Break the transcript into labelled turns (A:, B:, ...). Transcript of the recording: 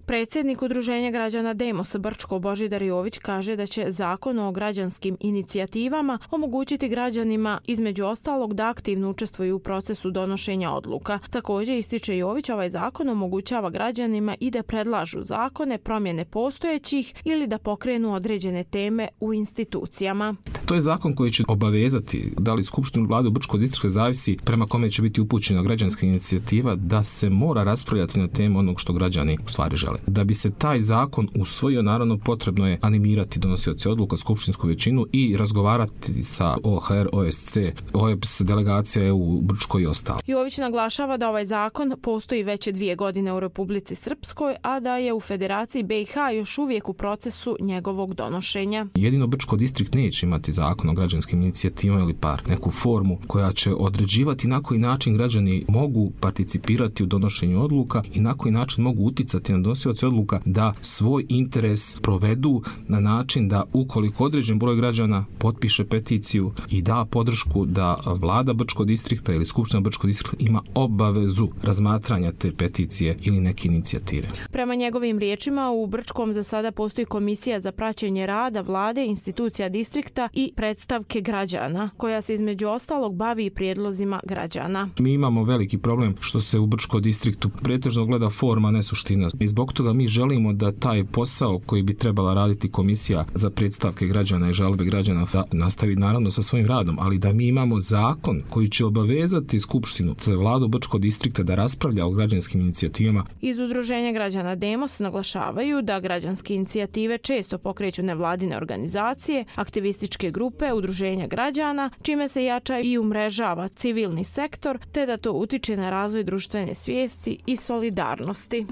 A: Predsjednik Udruženja građana Demos Brčko Božidar Jović kaže da će Zakon o građanskim inicijativama omogućiti građanima između ostalog da aktivno učestvuju u procesu donošenja odluka. Također ističe Jović, ovaj zakon omogućava građanima i da predlažu zakone, promjene postojećih ili da pokrenu određene teme u institucijama.
B: To je zakon koji će obavezati da li Skupštinu Vlade u Brčkog distrikta zavisi prema kome će biti upućena građanska inicijativa da se mora raspravljati na temu onog što građani u stvari žele. Da bi se taj zakon usvojio, naravno potrebno je animirati donosioce odluka, skupštinsku većinu i razgovarati sa OHR, OSC, OEBS, delegacija EU u Brčkoj i ostalo.
A: Jović naglašava da ovaj zakon postoji već 2 godine u Republici Srpskoj, a da je u Federaciji BiH još uvijek u procesu njegovog donošenja.
B: Jedino Brčko distrikt neće imati zakon o građanskim inicijativama ili neku formu koja će određivati na koji način građani mogu participirati u donošenju odluka i na koji način mogu uticati na donosioce odluka da svoj interes provedu na način da ukoliko određen broj građana potpiše peticiju i da podršku da vlada Brčkog distrikta ili Skupština Brčkog distrikta ima obavezu razmatranja te peticije ili neke inicijative.
A: Prema njegovim riječima, u Brčkom za sada postoji komisija za praćenje rada vlade, institucija distrikta i predstavke građana, koja se između ostalog bavi i prijedlozima građana.
B: Mi imamo veliki problem što se u Brčkom distriktu pretežno gleda forma, ne suština. I zbog toga mi želimo da taj posao koji bi trebala raditi komisija za predstavke građana i žalbe građana da nastavi naravno sa svojim radom, ali da mi imamo zakon koji će obavezati Skupštinu, Vladu Brčkog distrikta da raspravlja o građanskim inicijativama.
A: Iz Udruženja građana Demos naglašavaju da građanske inicijative često pokreću nevladine organizacije, aktivističke grupe, udruženja građana, čime se jača i umrežava civilni sektor, te da to utiče na razvoj društvene svijesti i solidarnosti.